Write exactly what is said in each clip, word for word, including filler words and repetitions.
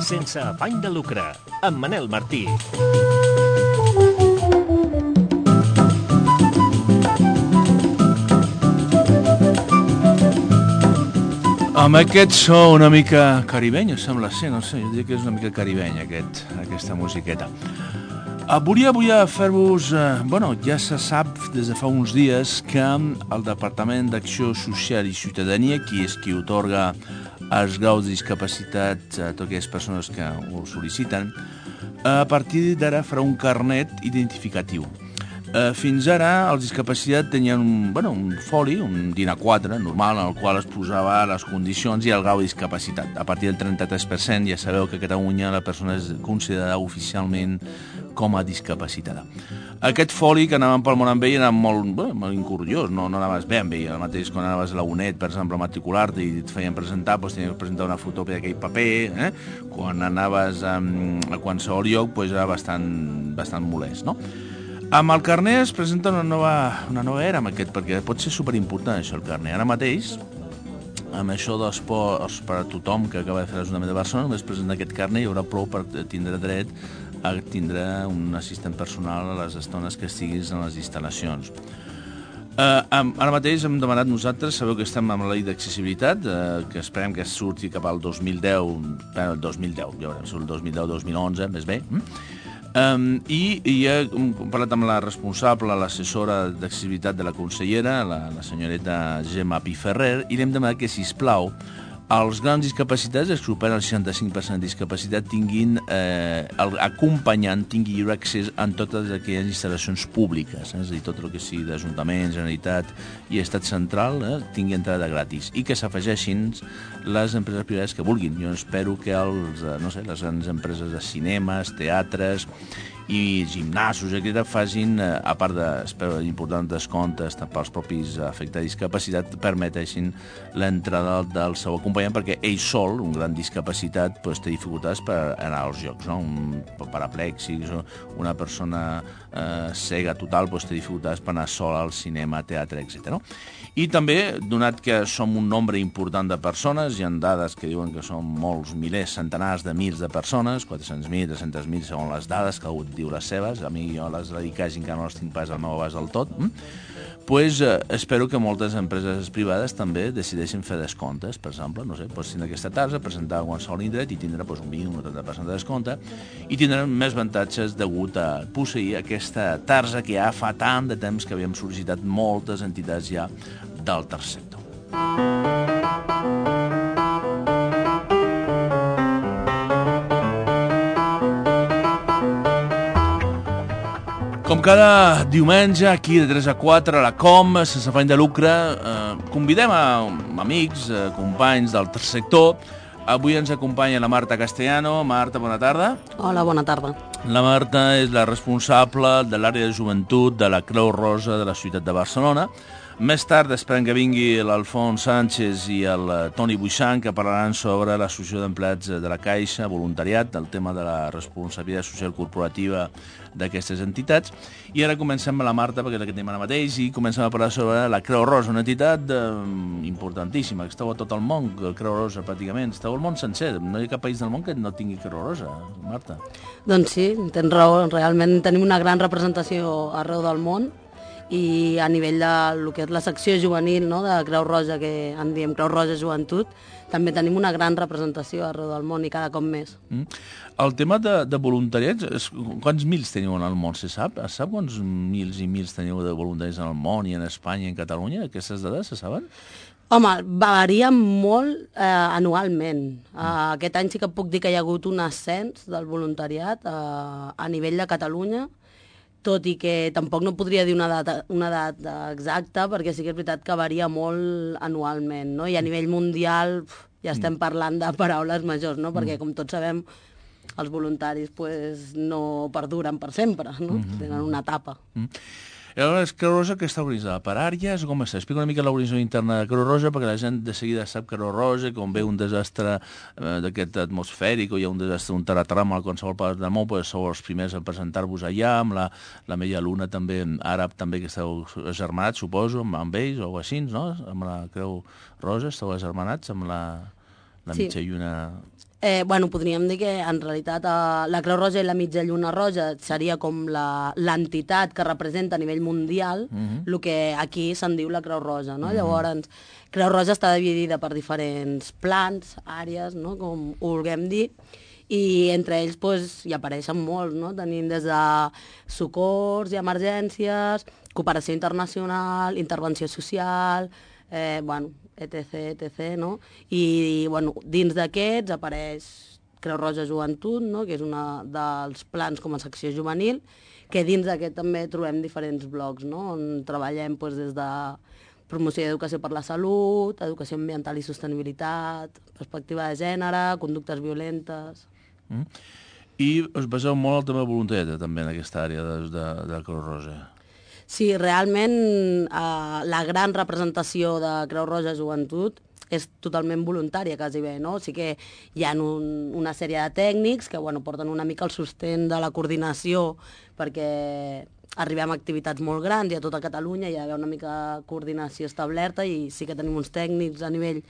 Sense afany de lucre, amb Manel Martí. Amb aquest so una mica caribeny, sembla ser, no sé, jo diria que és una mica caribeny aquest, aquesta musiqueta. Volia, volia fer-vos... Eh, bueno, ja se sap des de fa uns dies que el Departament d'Acció Social i Ciutadania, qui és qui otorga els graus de discapacitat a totes aquelles persones que ho sol·liciten, a partir d'ara farà un carnet identificatiu. Eh, fins ara els discapacitats tenien un, bueno, un foli, un D I N A quatre normal, en el qual es posava les condicions i el grau de discapacitat. A partir del trenta-tres per cent ja sabeu que a Catalunya la persona és considerada oficialment com a discapacitada. Aquest foli que anàvem pel món amb ell era molt, bé, molt incuriós, no, no anaves bé amb ell. El mateix quan anaves a la UNED, per exemple, a matricular-te i et feien presentar, doncs tenies que presentar una fotocòpia d'aquell paper. Eh? Quan anaves a, a qualsevol lloc, doncs era bastant, bastant molest, no? Amb el carnet es presenta una nova, una nova era amb aquest, perquè pot ser superimportant això, el carnet. Ara mateix, amb això dels ports per a tothom que acaba de fer l'Ajuntament de Barcelona, només presenta aquest carnet i hi haurà prou per tindre dret a tindre un assistent personal a les estones que estiguis en les instal·lacions. Uh, ara mateix hem demanat nosaltres, sabeu que estem amb la llei d'accessibilitat, uh, que esperem que surti cap al dos mil deu, el dos mil deu, ja veurem, surt el dos mil deu dos mil onze, més bé, mm? um, i, i he parlat amb la responsable, l'assessora d'accessibilitat de la consellera, la, la senyoreta Gemma Piferrer, i li hem demanat que, sisplau, els grans discapacitats, els que superen el seixanta-cinc per cent de discapacitat, tinguin, eh, el acompanyant tingui lliure accés en totes aquelles instal·lacions públiques, eh? És a dir, tot el que sigui d'Ajuntament, Generalitat i Estat Central, eh, tingui entrada gratis, i que s'afegeixin les empreses privades que vulguin. Jo espero que els, no sé, les grans empreses de cinemes, teatres i gimnasos, etcètera, facin, a part de, espero, importants descomptes pels propis afectats de discapacitat, permeteixin l'entrada del seu acompanyant, perquè ell sol, un gran discapacitat, pues, té dificultats per anar als llocs, no? Un paraplèxic, una persona eh, cega total, pues, té dificultats per anar sol al cinema, teatre, etcètera. No? I també, donat que som un nombre important de persones, hi ha dades que diuen que són molts milers, centenars de mils de persones, quatre-cents mil, tres-cents mil, segons les dades, que algú diu les seves, a mi jo les dedicaig encara no les tinc pas al meu abast del tot, hm? pues, eh, espero que moltes empreses privades també decideixin fer descomptes, per exemple, no sé, pues, tindre aquesta tarja, presentar a qualsevol indret i tindre pues, un vint o un trenta per cent de descompte, i tindran més avantatges degut a posseir aquesta tarja que ja fa tant de temps que havíem sol·licitat moltes entitats ja del tercer sector. Com cada diumenge, aquí de tres a quatre, a la Com, sense afany de lucre, eh, convidem a amics, a companys del tercer sector. Avui ens acompanya la Marta Castellano. Marta, bona tarda. Hola, bona tarda. La Marta és la responsable de l'àrea de joventut de la Creu Roja de la ciutat de Barcelona. Més tard esperem que vingui l'Alfons Sánchez i el Toni Buixant, que parlaran sobre l'associació d'empleats de la Caixa, voluntariat, del tema de la responsabilitat social corporativa d'aquestes entitats. I ara comencem amb la Marta, perquè és la que tenim ara mateix, i comencem a parlar sobre la Creu Roja, una entitat eh, importantíssima, que esteu a tot el món, Creu Roja pràcticament, esteu al món sencer, no hi ha cap país del món que no tingui Creu Roja, Marta. Doncs sí, tens raó, realment tenim una gran representació arreu del món, i a nivell de lo que és la secció juvenil, no?, de Creu Roja, que en diem Creu Roja Joventut, també tenim una gran representació arreu del món i cada cop més. Mm. El tema de, de voluntariats, és, quants mils teniu en el món, se sap? Es sap quants mils i mils teniu de voluntaris en el món i en Espanya i en Catalunya? Aquestes dades se saben? Home, varia molt eh, anualment. Eh, aquest any sí que puc dir que hi ha hagut un ascens del voluntariat eh, a nivell de Catalunya, tot i que tampoc no podria dir una data, una data exacta, perquè sí que és veritat que varia molt anualment, no? I a nivell mundial pf, ja estem parlant de paraules majors, no? Perquè, com tots sabem, els voluntaris pues, no perduren per sempre, no? Tenen una etapa. I aleshores, Creu Roja, que està organitzada per àrees, com està? Explica una mica l'organització interna de Creu Roja, perquè la gent de seguida sap Creu Roja, quan ve un desastre eh, d'aquest atmosfèric, o hi ha un desastre, un terratrèmol a qualsevol part del món, pues sou els primers a presentar-vos allà, amb la, la Meia Luna també, àrab també, que esteu agermanats, suposo, amb, amb ells, o així, no? Amb la Creu Roja, esteu agermanats amb la, la Sí. mitja lluna... Eh, bueno, podríem dir que en realitat eh, la Creu Roja i la Mitja Lluna Roja seria com la- l'entitat que representa a nivell mundial Mhm. el que aquí se'n diu la Creu Roja, no? Llavors, Creu Roja està dividida per diferents plans, àrees, no? Com ho vulguem dir, i entre ells pues, hi apareixen molts, no? Tenim des de socors i emergències, cooperació internacional, intervenció social, eh, bueno, etc, etc, no? I, bueno, dins d'aquests apareix Creu Roja Joventut, no? Que és una dels plans com a secció juvenil, que dins d'aquest també trobem diferents blocs, no? On treballem doncs, des de promoció d'educació per la salut, educació ambiental i sostenibilitat, perspectiva de gènere, conductes violentes... Mm. I us baseu molt al tema de voluntariat, també, en aquesta àrea de, de, de Creu Roja. Sí, realment eh, la gran representació de Creu Roja Joventut és totalment voluntària, quasi bé, no? O sigui que hi ha un, una sèrie de tècnics que bueno, porten una mica el sostén de la coordinació perquè arribem a activitats molt grans i a tota Catalunya hi ha d'haver una mica de coordinació establerta i sí que tenim uns tècnics a nivell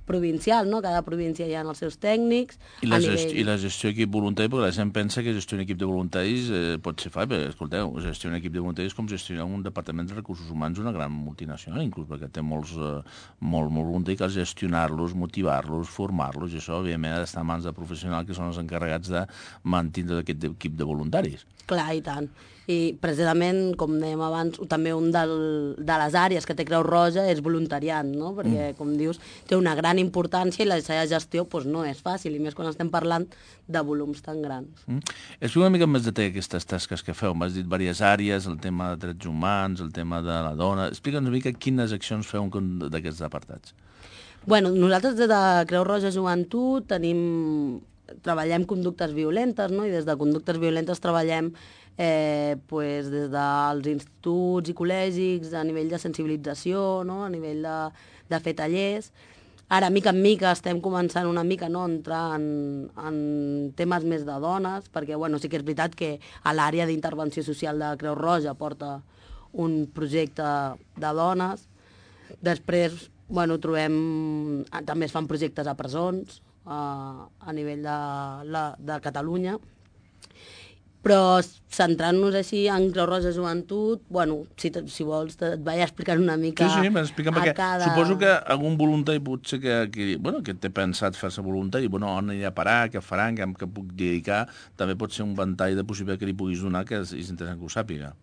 provincial, no? Cada província hi ha els seus tècnics. I la, a gest nivell... I la gestió d'equip voluntari, perquè la gent pensa que gestionar un equip de voluntaris eh, pot ser fàcil, però escolteu, gestionar un equip de voluntaris és com gestionar un departament de recursos humans una gran multinacional, inclús perquè té molts, eh, molt, molt voluntaris, cal gestionar-los, motivar-los, formar-los, i això, òbviament, ha d'estar en mans de professionals que són els encarregats de mantenir aquest equip de voluntaris. Clar, i tant. I precisament, com dèiem abans, també un del, de les àrees que té Creu Roja és voluntariat, no? Perquè, mm. com dius, té una gran importància i la seva gestió pues, no és fàcil, i més quan estem parlant de volums tan grans. Mm. Explica una mica més detall aquestes tasques que feu. M'has dit diverses àrees, el tema de drets humans, el tema de la dona... Explica'ns una mica quines accions feu d'aquests apartats. Bueno, nosaltres des de Creu Roja Joventut tenim... treballem conductes violentes, no? I des de conductes violentes treballem eh, pues, des dels instituts i col·legis a nivell de sensibilització, no? A nivell de, de fer tallers. Ara, mica en mica, estem començant una mica no, a entrar en, en temes més de dones, perquè bueno, sí que és veritat que a l'àrea d'intervenció social de Creu Roja porta un projecte de dones. Després, bueno, trobem... També es fan projectes a presons, a, a nivell de, la, de Catalunya, però centrant-nos així en Creu Roja Joventut, bueno, si, te, si vols et vaig explicant una mica sí, sí, m'explica, perquè cada... suposo que algun voluntari potser que, que, bueno, que té pensat fer-se voluntari, bueno, on anirà a parar, què faran, què, què puc dedicar, també pot ser un ventall de possibilitat que li puguis donar que és, és interessant que ho sàpiga.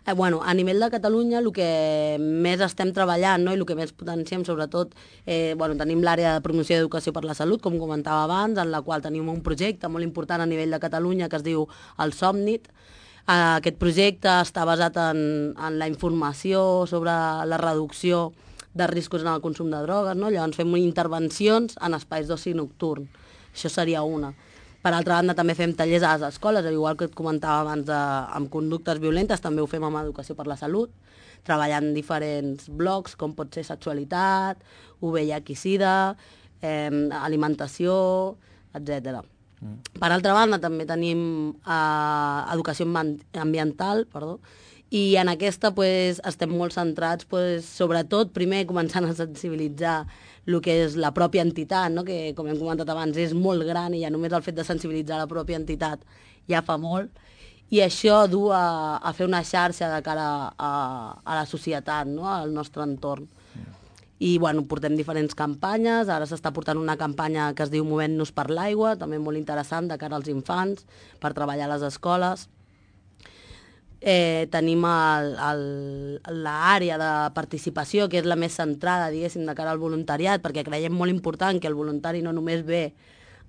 Eh, bueno, a nivell de Catalunya el que més estem treballant, no? I el que més potenciem sobretot, eh, bueno, tenim l'àrea de promoció d'educació per la salut, com comentava abans, en la qual tenim un projecte molt important a nivell de Catalunya que es diu el Somnit. Eh, aquest projecte està basat en, en la informació sobre la reducció de riscos en el consum de drogues, no? Llavors fem intervencions en espais d'oci nocturn. Això seria una. Per altra banda, també fem tallers a les escoles, igual que et comentava abans de, amb conductes violentes, també ho fem amb educació per la salut, treballant diferents blocs, com pot ser sexualitat, U V I H i SIDA, eh, alimentació, etcètera. Mm. Per altra banda, també tenim eh, educació ambiental, perdó, i en aquesta pues, estem molt centrats, pues, sobretot, primer començant a sensibilitzar el que és la pròpia entitat, no? Que, com hem comentat abans, és molt gran i ja només el fet de sensibilitzar la pròpia entitat ja fa molt, i això du a, a fer una xarxa de cara a, a la societat, no? Al nostre entorn. I bueno, portem diferents campanyes, ara s'està portant una campanya que es diu Movent-nos per l'aigua, també molt interessant de cara als infants, per treballar a les escoles. Eh, tenim l'àrea de participació, que és la més centrada, diguéssim, de cara al voluntariat, perquè creiem molt important que el voluntari no només ve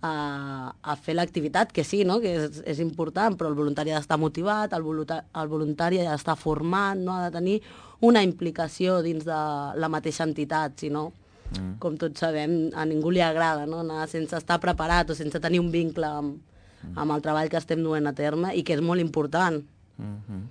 a, a fer l'activitat, que sí, no? Que és, és important, però el voluntari ha d'estar motivat, el voluntari, el voluntari ha d'estar format, no? Ha de tenir una implicació dins de la mateixa entitat, si no, mm. com tots sabem, a ningú li agrada, no? Anar sense estar preparat o sense tenir un vincle amb, amb el treball que estem duent a terme i que és molt important. Mm-hmm.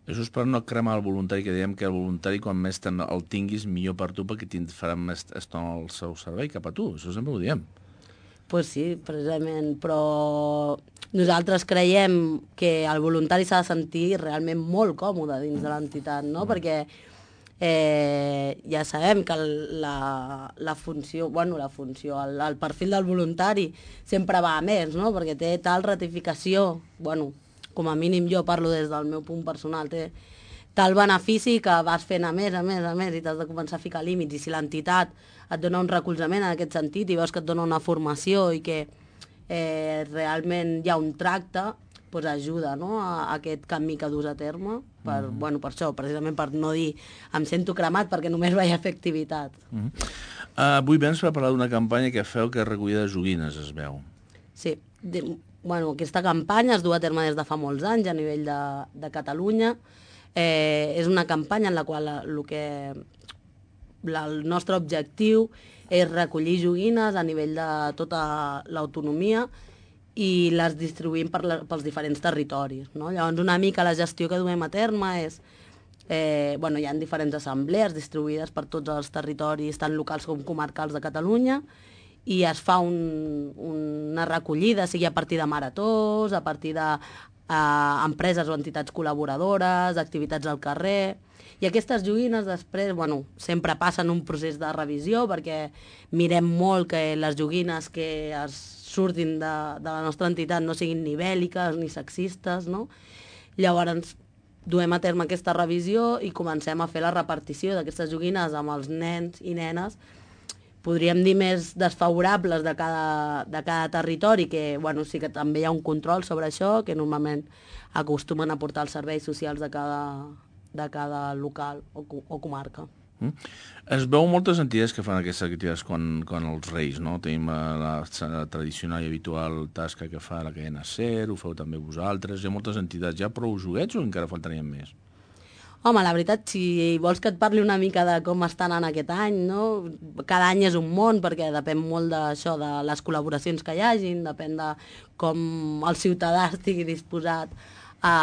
Això és per no cremar el voluntari, que dèiem que el voluntari, quan més el tinguis, millor per tu, perquè et farà més estona el seu servei cap a tu. Això sempre ho diem. Doncs pues sí, precisament, però nosaltres creiem que el voluntari s'ha de sentir realment molt còmode dins de l'entitat, no? Mm. Perquè eh, ja sabem que la, la funció, bueno, la funció, el, el perfil del voluntari sempre va a més, no? Perquè té tal ratificació, bueno, com a mínim jo parlo des del meu punt personal, té tal benefici que vas fent a més, a més, a més, i t'has de començar a ficar límits. I si l'entitat et dona un recolzament en aquest sentit i veus que et dona una formació i que eh, realment hi ha un tracte, doncs ajuda, no?, a, a aquest canvi que dus a terme, per, mm. bueno, per això, precisament per no dir em sento cremat perquè només vaig a fer activitat. Mm. Uh, avui vens per parlar d'una campanya que feu que és recollida de joguines, es veu. Sí, de, bueno, aquesta campanya es du a terme des de fa molts anys a nivell de, de Catalunya. Eh, és una campanya en la qual el, que, la, el nostre objectiu és recollir joguines a nivell de tota l'autonomia i les distribuïm per la, pels diferents territoris, no? Llavors, una mica la gestió que duem a terme és... Eh, bueno, hi ha diferents assemblees distribuïdes per tots els territoris, tant locals com comarcals de Catalunya, i es fa un, una recollida, sigui a partir de maratons, a partir d'empreses eh, o entitats col·laboradores, activitats al carrer. I aquestes joguines després, bueno, sempre passen un procés de revisió, perquè mirem molt que les joguines que es surtin de, de la nostra entitat no siguin ni bèl·liques ni sexistes, no? Llavors duem a terme aquesta revisió i comencem a fer la repartició d'aquestes joguines amb els nens i nenes, podríem dir més desfavorables de cada, de cada territori, que bueno, sí que també hi ha un control sobre això, que normalment acostumen a portar els serveis socials de cada, de cada local o, o comarca. Mm. Es veu moltes entitats que fan aquestes activitats quan, quan els Reis, no? Tenim la, la tradicional i habitual tasca que fa la cadena SER, ho feu també vosaltres, hi ha moltes entitats. Hi ha prou joguets o encara faltarien més? Home, la veritat, si vols que et parli una mica de com estan en aquest any, no? Cada any és un món, perquè depèn molt d'això, de les col·laboracions que hi hagin, depèn de com el ciutadà estigui disposat a,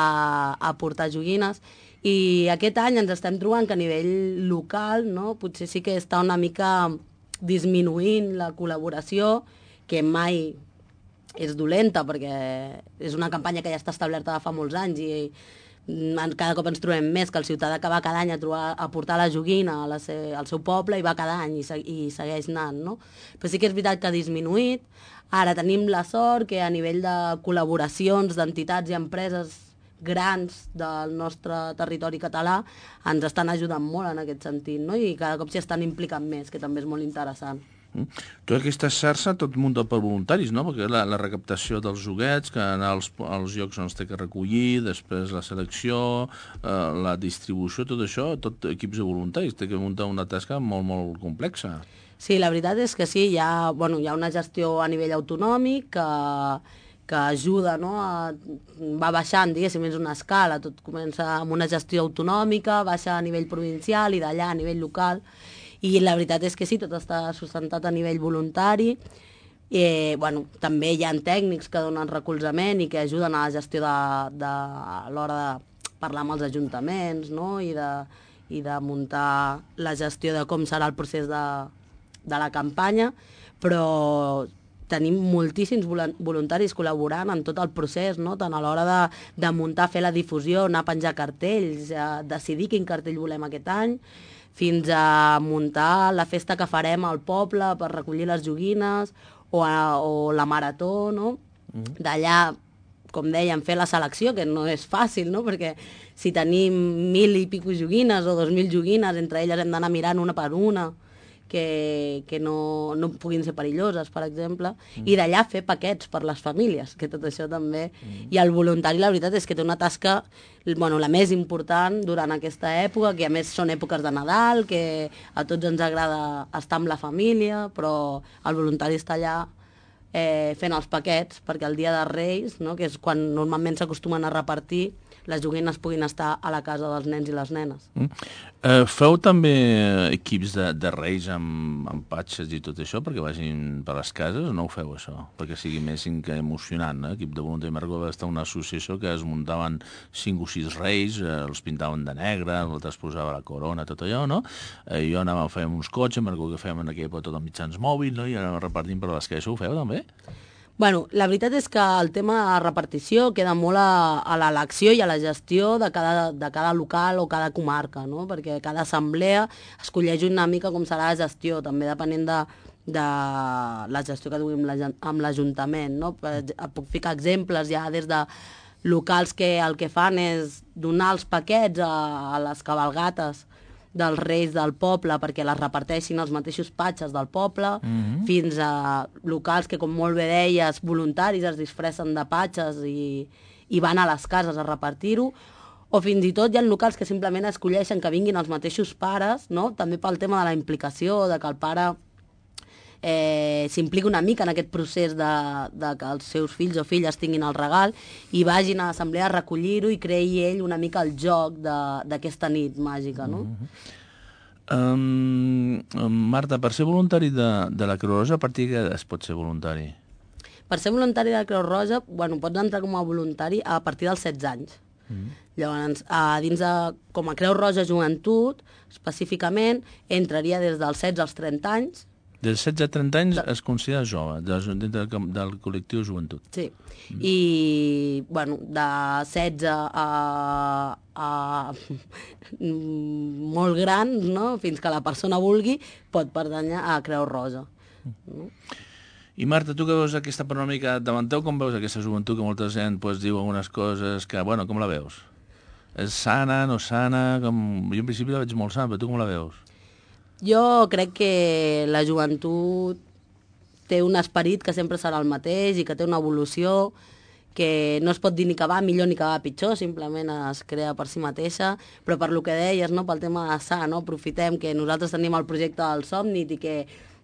a portar joguines. I aquest any ens estem trobant que a nivell local, no?, potser sí que està una mica disminuint la col·laboració, que mai és dolenta, perquè és una campanya que ja està establerta de fa molts anys i cada cop ens trobem més que el ciutadà que va cada any a, trobar, a portar la joguina a la se, al seu poble i va cada any i, se, i segueix anant, no? Però sí que és veritat que ha disminuït. Ara tenim la sort que a nivell de col·laboracions d'entitats i empreses grans del nostre territori català ens estan ajudant molt en aquest sentit, no? I cada cop s'hi estan implicant més, que també és molt interessant. Mm. Tota aquesta xarxa tot muntat per voluntaris, no? Perquè la, la recaptació dels joguets, que anar als, als llocs on es té que recollir, després la selecció, eh, la distribució, tot això, tot equips de voluntaris, té que muntar una tasca molt, molt complexa. Sí, la veritat és que sí, hi ha, bueno, hi ha una gestió a nivell autonòmic que, que ajuda, no? A, va baixant, diguéssim, és una escala, tot comença amb una gestió autonòmica, baixa a nivell provincial i d'allà a nivell local. I la veritat és que sí, tot està sustentat a nivell voluntari. Eh, bueno, també hi ha tècnics que donen recolzament i que ajuden a la gestió de, de, a l'hora de parlar amb els ajuntaments, no? I, de, i de muntar la gestió de com serà el procés de, de la campanya, però tenim moltíssims voluntaris col·laborant en tot el procés, no? Tant a l'hora de, de muntar, fer la difusió, anar a penjar cartells, a decidir quin cartell volem aquest any, fins a muntar la festa que farem al poble per recollir les joguines o, a, o la marató, no? Mm. D'allà, com dèiem, fer la selecció, que no és fàcil, no? Perquè si tenim mil i pico joguines o dos mil joguines, entre elles hem d'anar mirant una per una, que, que no, no puguin ser perilloses, per exemple, mm. i d'allà fer paquets per les famílies, que tot això també... Mm. I el voluntari, la veritat, és que té una tasca, bueno, la més important durant aquesta època, que a més són èpoques de Nadal, que a tots ens agrada estar amb la família, però el voluntari està allà eh, fent els paquets, perquè el dia de Reis, no?, que és quan normalment s'acostumen a repartir, les joguines puguin estar a la casa dels nens i les nenes. Mm. Uh, feu també equips de, de reis amb, amb patxes i tot això perquè vagin per les cases o no ho feu això? Perquè sigui més emocionant, no? Equip de voluntari. Marco va estar una associació que es muntaven cinc o sis reis, eh, els pintaven de negre, l'altre es posava la corona, tot allò, no? Eh, jo anava, fèiem uns cotxes, Marco que fèiem en aquella època tot amb mitjans mòbils, no? I anàvem repartint per les cases. Ho feu també? Bueno, la veritat és que el tema de repartició queda molt a, a l'elecció i a la gestió de cada, de cada local o cada comarca, no? Perquè cada assemblea escolleix una mica com serà la gestió, també depenent de, de la gestió que duguem amb l'Ajuntament, no? Puc ficar exemples ja des de locals que el que fan és donar els paquets a, a les cabalgates dels reis del poble perquè les reparteixin els mateixos patxes del poble, mm-hmm. fins a locals que, com molt bé deies, voluntaris es disfressen de patxes i, i van a les cases a repartir-ho, o fins i tot hi ha locals que simplement escolleixen que vinguin els mateixos pares, no? També pel tema de la implicació, de que el pare eh, s'implica una mica en aquest procés de, de que els seus fills o filles tinguin el regal i vagin a l'assemblea a recollir-ho i creï ell una mica el joc d'aquesta nit màgica, no? Mm-hmm. um, Marta, per ser voluntari de, de la Creu Roja, a partir de què es pot ser voluntari? Per ser voluntari de la Creu Roja, bueno, pots entrar com a voluntari a partir dels setze anys. Mm-hmm. Llavors, a, dins de, com a Creu Roja Joventut, específicament, entraria des dels setze als trenta anys. Dels setze a trenta anys es considera jove, dintre del, del col·lectiu joventut. Sí, mm. i, bueno, de setze a, a molt grans, no?, fins que la persona vulgui, pot pertànyer a Creu Roja. Mm. No? I Marta, tu que veus aquesta panoràmica davant teu, com veus aquesta joventut que molta gent pues, diu algunes coses que, bueno, com la veus? És sana, no sana? Com... Jo en principi la veig molt sana, però tu com la veus? Jo crec que la joventut té un esperit que sempre serà el mateix i que té una evolució que no es pot dir ni que va millor ni que va pitjor, simplement es crea per si mateixa, però per lo que deies, no, pel tema de sa, no, aprofitem que nosaltres tenim el projecte del Somnit i que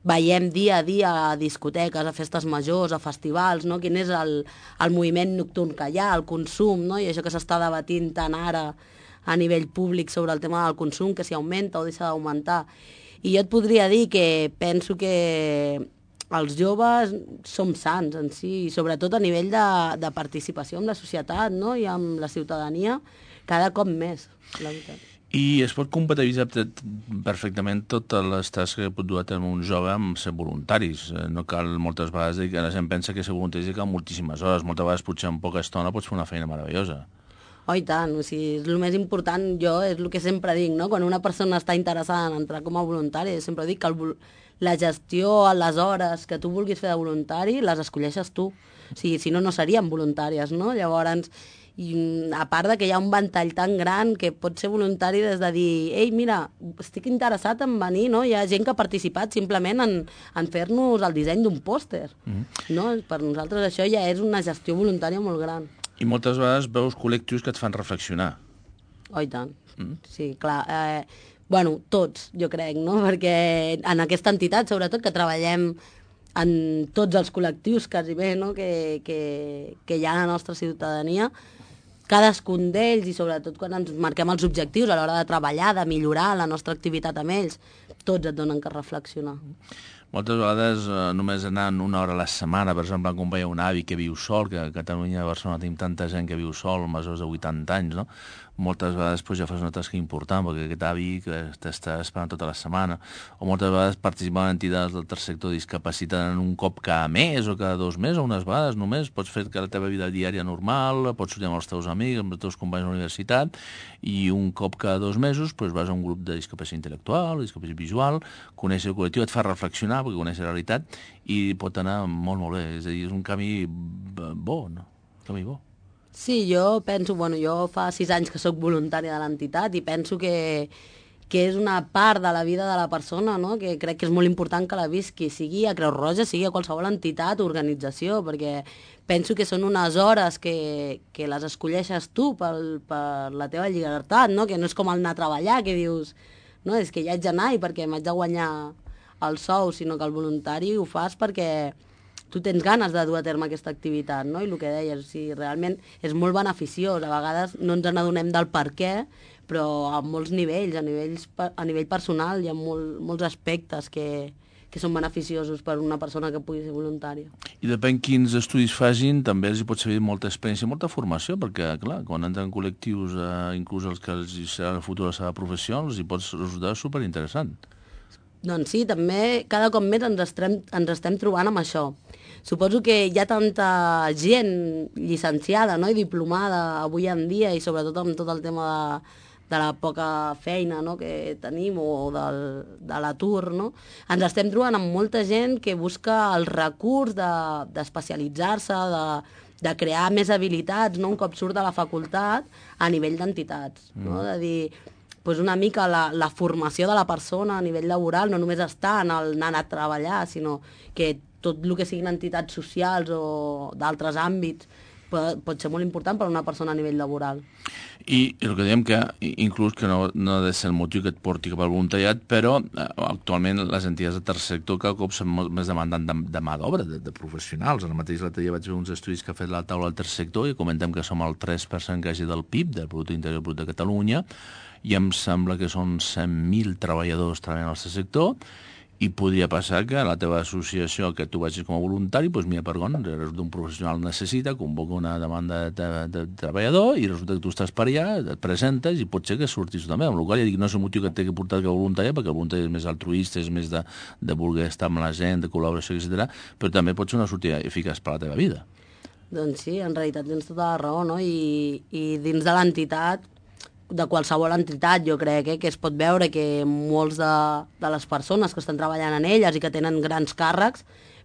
veiem dia a dia a discoteques, a festes majors, a festivals, no, quin és el, el moviment nocturn que hi ha, el consum, no, i això que s'està debatint tant ara a nivell públic sobre el tema del consum, que si augmenta o deixa d'augmentar. I jo et podria dir que penso que els joves som sants en si, i sobretot a nivell de, de participació amb la societat, no?, i amb la ciutadania, cada cop més, la veritat. I es pot compatibilitzar perfectament totes les tasques que pot dur a terme un jove amb ser voluntaris. No cal moltes vegades dir que la gent pensa que ser voluntari és cal moltíssimes hores. Moltes vegades potser en poca estona pots fer una feina meravellosa. Oh, i tant, o sigui, és el més important, jo és el que sempre dic, no? Quan una persona està interessada en entrar com a voluntari, sempre dic que el, la gestió a les hores que tu vulguis fer de voluntari les escolleixes tu. O sigui, si no, no serien voluntàries, no? Llavors, i, a part de que hi ha un ventall tan gran que pot ser voluntari des de dir, ei, mira, estic interessat en venir, no? Hi ha gent que ha participat simplement en, en fer-nos el disseny d'un pòster, mm-hmm. no? Per nosaltres això ja és una gestió voluntària molt gran. I moltes vegades veus col·lectius que et fan reflexionar. Oh, i tant. Mm. Sí, clar. Eh, bueno, tots, jo crec, no? Perquè en aquesta entitat, sobretot, que treballem en tots els col·lectius, quasi bé, no?, que, que, que hi ha a la nostra ciutadania, cadascun d'ells, i sobretot quan ens marquem els objectius a l'hora de treballar, de millorar la nostra activitat amb ells, tots et donen que reflexionar. Moltes vegades eh, només anant una hora a la setmana, per exemple, acompanyar un avi que viu sol, que a Catalunya, a Barcelona tenim tanta gent que viu sol, majors de vuitanta anys, no? Moltes vegades pues, ja fas una tasca important, perquè aquest avi que t'està esperant tota la setmana, o moltes vegades participar en entitats del tercer sector de discapacitat en un cop cada mes o cada dos mesos, o unes vegades només, pots fer que la teva vida diària normal, pots sortir amb els teus amics, amb els teus companys de la universitat, i un cop cada dos mesos pues, vas a un grup de discapacitat intel·lectual, discapacitat visual, conèixer el col·lectiu, et fa reflexionar, perquè coneix la realitat, i pot anar molt, molt bé. És a dir, és un camí bo, no? Un camí bo. Sí, jo penso, bueno, jo fa sis anys que sóc voluntària de l'entitat i penso que, que és una part de la vida de la persona, no?, que crec que és molt important que la visqui, sigui a Creu Roja, sigui a qualsevol entitat o organització, perquè penso que són unes hores que, que les escolleixes tu pel, per la teva llibertat, no?, que no és com anar a treballar, que dius, no, és que ja haig d'anar i perquè m'haig de guanyar el sou, sinó que el voluntari ho fas perquè tu tens ganes de dur a terme aquesta activitat, no? I el que deies, o sigui, realment és molt beneficiós, a vegades no ens n'adonem del per què, però a molts nivells, a, nivells, a nivell personal hi ha molt, molts aspectes que, que són beneficiosos per una persona que pugui ser voluntària. I depèn quins estudis facin, també els hi pot servir molta experiència i molta formació, perquè, clar, quan entren col·lectius, eh, inclús els que els serà el futur de la seva professió, els hi pot resultar superinteressant. Doncs sí, també cada cop més ens estem, ens estem trobant amb això. Suposo que hi ha tanta gent llicenciada, no?, i diplomada avui en dia, i sobretot amb tot el tema de, de la poca feina, no?, que tenim, o del, de l'atur, no? Ens estem trobant amb molta gent que busca el recurs d'especialitzar-se, de, de, de crear més habilitats, no?, un cop surt de la facultat a nivell d'entitats, mm. no?, de dir... Pues una mica la, la formació de la persona a nivell laboral no només està en el anar a treballar, sinó que tot el que siguin entitats socials o d'altres àmbits pot, pot ser molt important per a una persona a nivell laboral. I el que diem que, inclús que no, no ha de ser el motiu que et porti cap al voluntariat, però eh, actualment les entitats de tercer sector cada cop són molt més demandant de, de mà d'obra, de, de professionals. Ara mateix l'altre dia vaig veure uns estudis que ha fet la taula del tercer sector i comentem que som el tres per cent quasi del P I B, del Producte Interior Brut de Catalunya, i em sembla que són cent mil treballadors treballant al tercer sector, i podria passar que la teva associació, que tu vagis com a voluntari, doncs mira, per on, resulta un professional necessita, convoca una demanda de, de, de treballador i resulta que tu estàs per allà, et presentes i pot ser que surtis també. Amb la qual cosa ja dic, no és el motiu que et té que portar que voluntari, perquè el voluntari és més altruista, és més de, de voler estar amb la gent, de col·laboració, etcètera, però també pot ser una sortida eficaç per a la teva vida. Doncs sí, en realitat tens tota la raó, no? I, i dins de l'entitat, de qualsevol entitat, jo crec, eh, que es pot veure que molts de, de les persones que estan treballant en elles i que tenen grans càrrecs,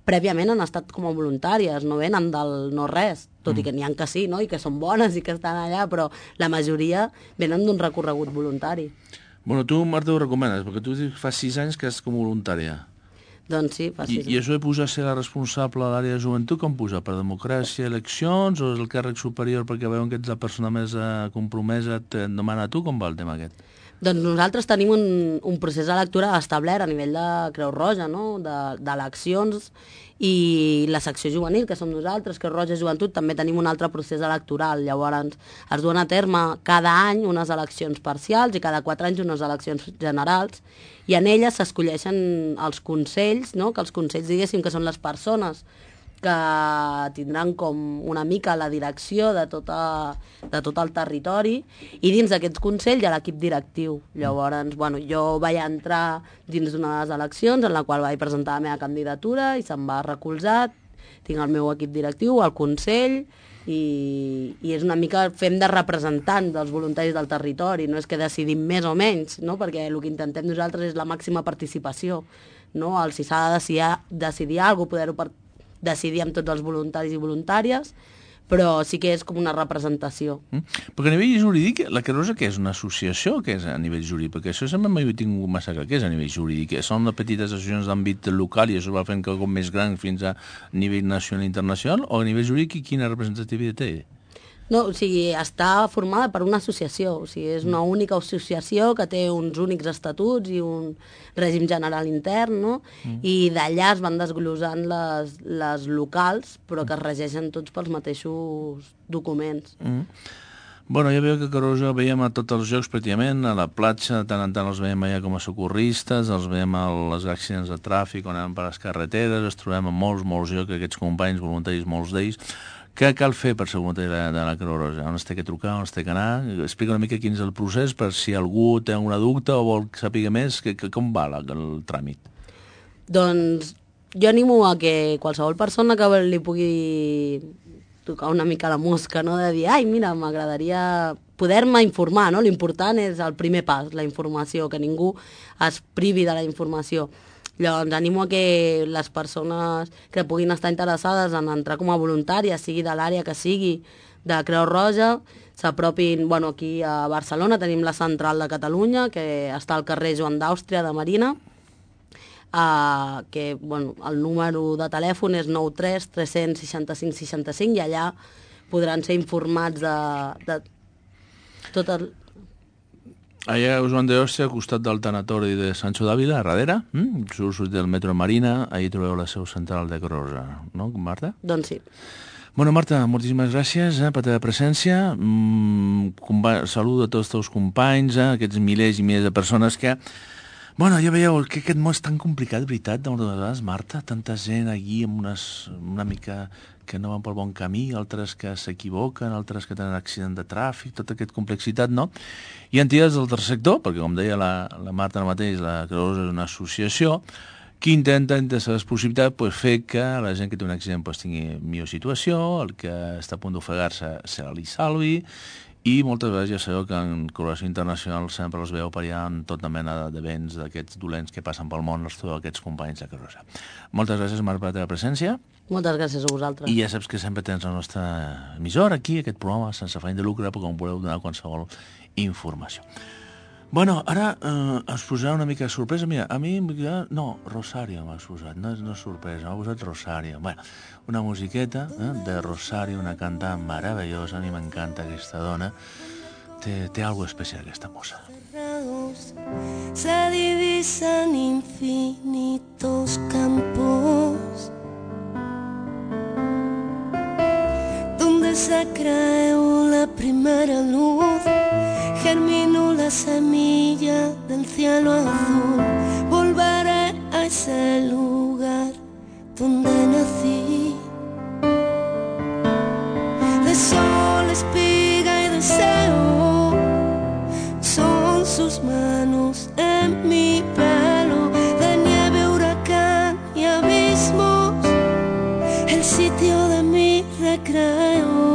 prèviament han estat com a voluntàries, no venen del no-res, tot mm. i que n'hi ha que sí, no?, i que són bones i que estan allà, però la majoria venen d'un recorregut voluntari. Bueno, tu, Marta, ho recomanes, perquè tu fa sis anys que ets com a voluntària. Doncs sí, fa sis anys. I, I això de posar a ser la responsable de l'àrea de joventut, com posar? Per democràcia, eleccions, o és el càrrec superior perquè veuen que ets la persona més eh, compromesa, et demana a tu? Com va el tema aquest? Doncs nosaltres tenim un, un procés electoral establert a nivell de Creu Roja, no?, d'eleccions, i la secció juvenil, que som nosaltres, Creu Roja Joventut, també tenim un altre procés electoral. Llavors, es duen a terme cada any unes eleccions parcials i cada quatre anys unes eleccions generals, i en elles s'escolleixen els consells, no?, que els consells, diguéssim, que són les persones que tindran com una mica la direcció de, tota, de tot el territori, i dins d'aquests consells hi ha l'equip directiu. Llavors, bueno, jo vaig entrar dins d'una de les eleccions en la qual vaig presentar la meva candidatura i se'm va recolzar, tinc el meu equip directiu, el consell, i, i és una mica, fem de representant dels voluntaris del territori, no és que decidim més o menys, no?, perquè el que intentem nosaltres és la màxima participació, no?, el, si s'ha de decidir, decidir alguna cosa, poder-ho per decidir amb tots els voluntaris i voluntàries, però sí que és com una representació. Mm. Perquè a nivell jurídic, la Creu Roja què és? Una associació? Què és a nivell jurídic? Perquè això sempre m'ho he tingut massa clar. Què és a nivell jurídic? Són petites associacions d'àmbit local i això va fent quelcom més gran fins a nivell nacional i internacional, o a nivell jurídic quina representativitat té? No, o sigui, està formada per una associació, o sigui, és una única associació que té uns únics estatuts i un règim general intern, no? Mm. I d'allà es van desglosant les, les locals, però que es regeixen tots pels mateixos documents. Mm. Bueno, ja veieu que a Caroja veiem a tots els jocs pràcticament, a la platja, de tant en tant els veiem allà com a socorristes, els veiem a les accidents de tràfic, on anem per les carreteres, els trobem a molts, molts jocs, aquests companys voluntaris, molts d'ells. Què cal fer per ser voluntari de, de la Creu Roja? On es té que trucar, on es té que anar? Explica una mica quin és el procés per si algú té alguna dubte o vol saber més, que, que, com va la, el tràmit? Doncs jo animo a que qualsevol persona que li pugui tocar una mica la mosca, no?, de dir, ai, mira, m'agradaria poder-me informar, no? L'important és el primer pas, la informació, que ningú es privi de la informació. Llavors, animo a que les persones que puguin estar interessades en entrar com a voluntàries, sigui de l'àrea que sigui, de Creu Roja, s'apropin, bueno, aquí a Barcelona tenim la central de Catalunya, que està al carrer Joan d'Àustria de Marina, uh, que, bueno, el número de telèfon és nou tres tres seixanta-cinc seixanta-cinc, i allà podran ser informats de, de tot el... Allà a Joan de Ostia, al costat del tanatori de Sancho d'Àvila, a darrere, mm? Surt del metro Marina, allà trobeu la seu central de Crosa, no, Marta? Doncs sí. Bueno, Marta, moltíssimes gràcies eh, per la teva presència. Mm, saludo a tots els teus companys, eh, aquests milers i milers de persones que... Bueno, ja veieu que aquest món és tan complicat, veritat, de moltes vegades, Marta, tanta gent allí amb unes, una mica que no van pel bon camí, altres que s'equivoquen, altres que tenen accident de tràfic, tota aquesta complexitat, no? I entitats del tercer sector, perquè com deia la, la Marta ara mateix, la Creus és una associació que intenta, entre les possibilitats, pues, fer que la gent que té un accident pues, tingui millor situació, el que està a punt d'ofegar-se se li salvi, i moltes vegades ja sabeu que en col·laboració internacional sempre els veu per allà en tota mena d'events d'aquests dolents que passen pel món, els trobeu aquests companys de Crosa. Moltes gràcies, Marc, per la teva presència. Moltes gràcies a vosaltres. I ja saps que sempre tens la nostra emissora aquí, aquest programa, sense afany de lucre, perquè em voleu donar qualsevol informació. Bueno, ara eh, us posarà una mica de sorpresa. Mira, a mi... No, Rosario m'ha posat, no és no sorpresa, m'ha posat Rosario. Bueno, una musiqueta eh, de Rosario, una cantant meravellosa, a mi m'encanta aquesta dona. Té, té algo especial aquesta mossa. Se divisan infinitos campos donde se creó la primera luz. Germinó la semilla del cielo azul. Volveré a ese lugar donde nací. De sol, espiga y deseo son sus manos en mi pelo. De nieve, huracán y abismos, el sitio de mi recreo.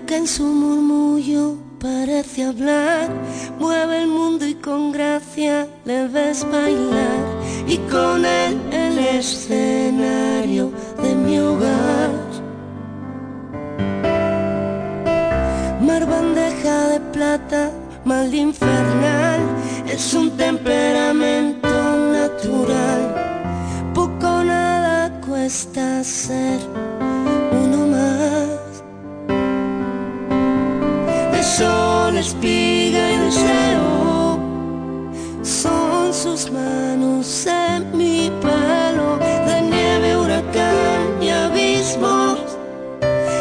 Que en su murmullo parece hablar, mueve el mundo y con gracia le ves bailar, y con él el escenario de mi hogar. Mar, bandeja de plata, mal infernal, es un temperamento natural. Poco o nada cuesta ser uno más. Sol, espiga y deseo son sus manos en mi pelo. De nieve, huracán y abismos,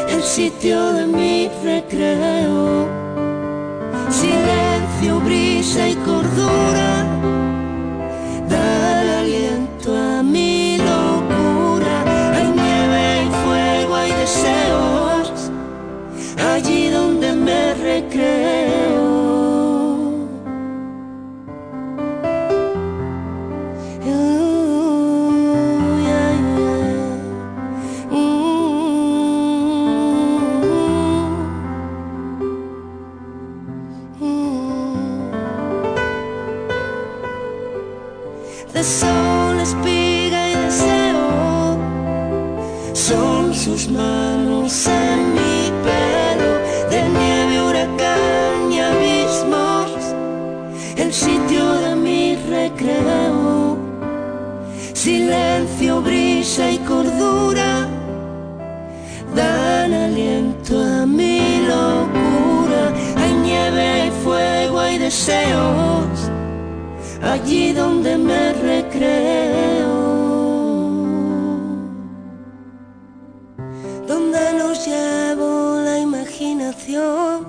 el sitio de mi recreo. Silencio, brisa y cordura dan aliento a mi locura. Hay nieve, hay fuego, hay deseos allí donde me recreo. Uh, yeah, yeah. Mm, mm. De sol, espiga y deseo son sus manos en mi pelo. De nieve, huracán y abismos, el sitio de mi recreo. Silencio, brisa y cordura dan aliento a mi locura. Hay nieve, hay fuego, hay deseos allí donde me recreo. Donde nos llevo la imaginación,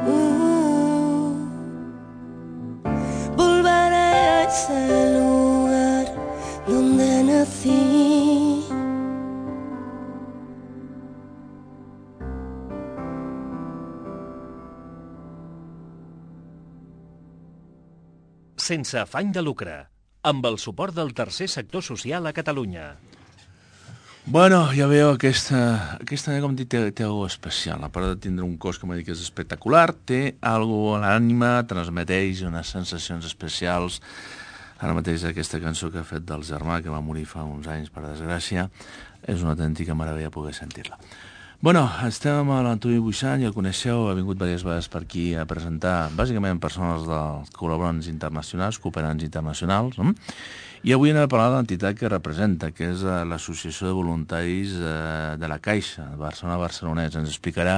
uh, volveré a ese lugar donde nací. Sense afany de lucre, amb el suport del tercer sector social a Catalunya. Bueno, ja veieu, aquesta, aquesta com dic, té, té alguna especial. A part de tindre un cos, com he dit, que és espectacular, té alguna a l'ànima, transmeteix unes sensacions especials. Ara mateix aquesta cançó que ha fet del germà, que va morir fa uns anys, per desgràcia, és una autèntica meravella poder sentir-la. Bueno, estem amb l'Antoni Buixant, ja el coneixeu, ha vingut diverses vegades per aquí a presentar, bàsicament, persones dels col·laborants internacionals, cooperants internacionals, no? I avui anem a parlar de l'entitat que representa, que és l'Associació de Voluntaris de la Caixa, Barcelona-Barcelonès. Ens explicarà